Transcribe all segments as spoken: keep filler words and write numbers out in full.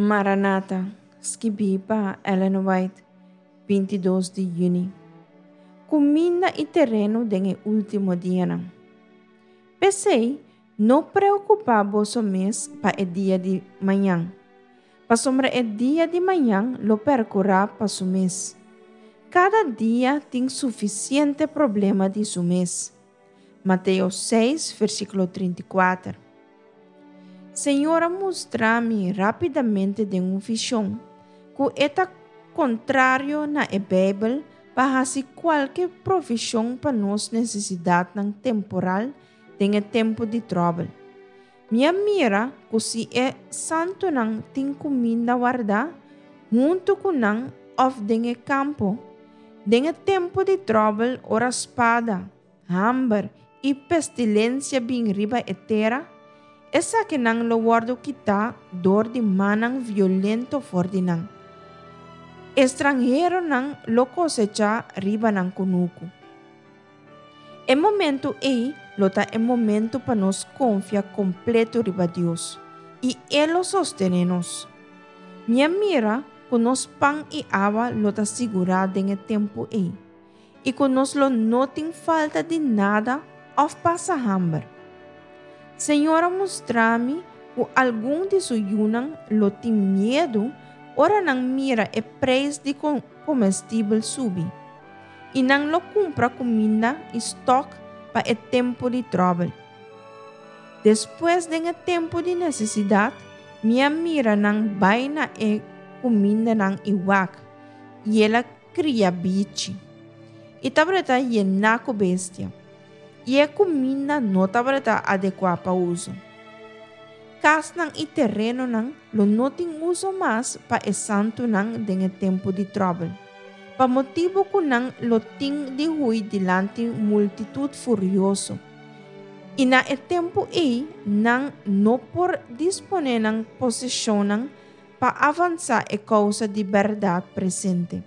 Maranata, skibí pa Ellen White, binti dos di yüni. Kuminda i tereno den e último dianan. P'esei, no preokupá boso mes pa e dia di mañan, pasobra e dia di mañan lo perkurá pa su mes. Kada dia tin sufisiente problema di su mes. Mateo seis, versíkulo trinta i kuater. Señor a mustra mi rápidamente den un vishon ku e ta kontrario na e Beibel pa hasi kualke provishon pa nos nesesidatnan temporal den e tempu di tròbel. Mi a mira ku si e santunan tin kuminda wardá huntu ku nan òf den e kampo, den e tempu di tròbel ora spada, hamber i pestilensia bin riba e tera, esakinan lo wòrdu kitá dor di mannan violento for di nan. Estranheronan lo kosechá riba nan kunuku. E momento ei lo ta e momento pa nos konfia kompleto riba Dios, i E lo sostené nos. Mi a mira ku nos pan i awa lo ta sigurá den e tempu ei, i ku nos lo no tin falta di nada òf pasa hamber. Señor a mustra mi ku algun di su yunan lo tin miedu ora nan mira e preis di komestibel subi, i nan lo kumpra kuminda i stòk pa e tempu di tròbel. Despues den e tempu di nesesidat, mi a mira nan bai na e kumindanan i wak, i el a kria bichi. I tabata yená ku bestia, i e kuminda no tabata adekuá pa uso. Kasnan i terenonan lo no tin uso mas pa e santunan den e tempu di tròbel, pa motibu ku nan lo tin di hui dilanti multitut furioso. I na e tempu ei nan no por disponé nan poseshonnan pa avansá e kousa di bèrdat presente.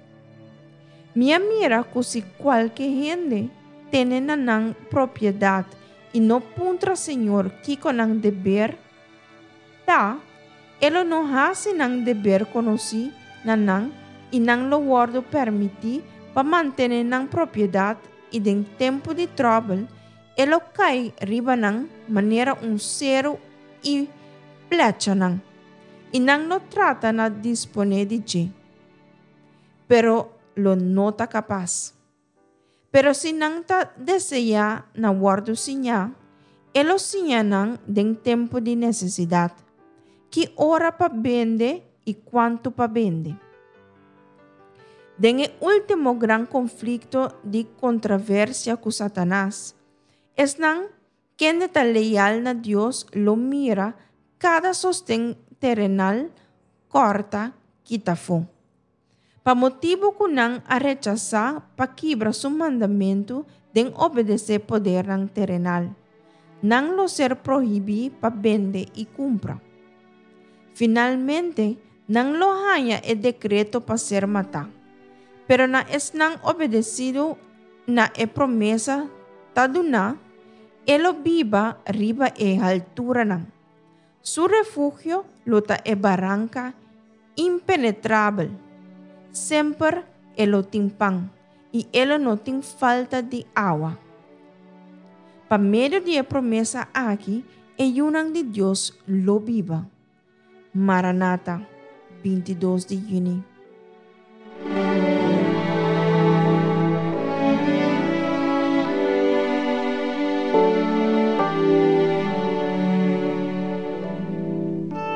Mi a mira ku si kualke hende tene na nan propiedat i no puntra Señor kiko nan deber ta, E lo no hasi nan deber konosí na nan i nan lo wòrdu permití pa mantené nan propiedat i den tempu di tròbel E lo kai riba nan manera un seru i plecha nan, i nan lo trata na disponé di dje, pero lo no ta kapas. Pero si nan ta deseá na wòrdu siñá, E lo siña nan den tempu di nesesidat, ki ora pa bende i kuantu pa bende. Den e último gran konflikto di kontraversia ku Satanas, esnan kende ta leal na Dios lo mira kada sosten terenal kòrta kita afó. Pa motibu ku nan a rechasá pa kibra su mandamentu den obedesé podernan terenal, nan lo ser prohibí pa bende i kumpra. Finalmente, nan lo haña e dekreto pa ser matá. Pero na esnan obedesidu na e promesa ta duná, e lo biba riba e halturanan. Su refugio lo ta e baranka impenetrabel. Semper e lo tin pan, i e lo no tin falta di awa. Pa medio di e promesa aki, e yunan di Dios lo biba. Maranata, binti dos di yüni.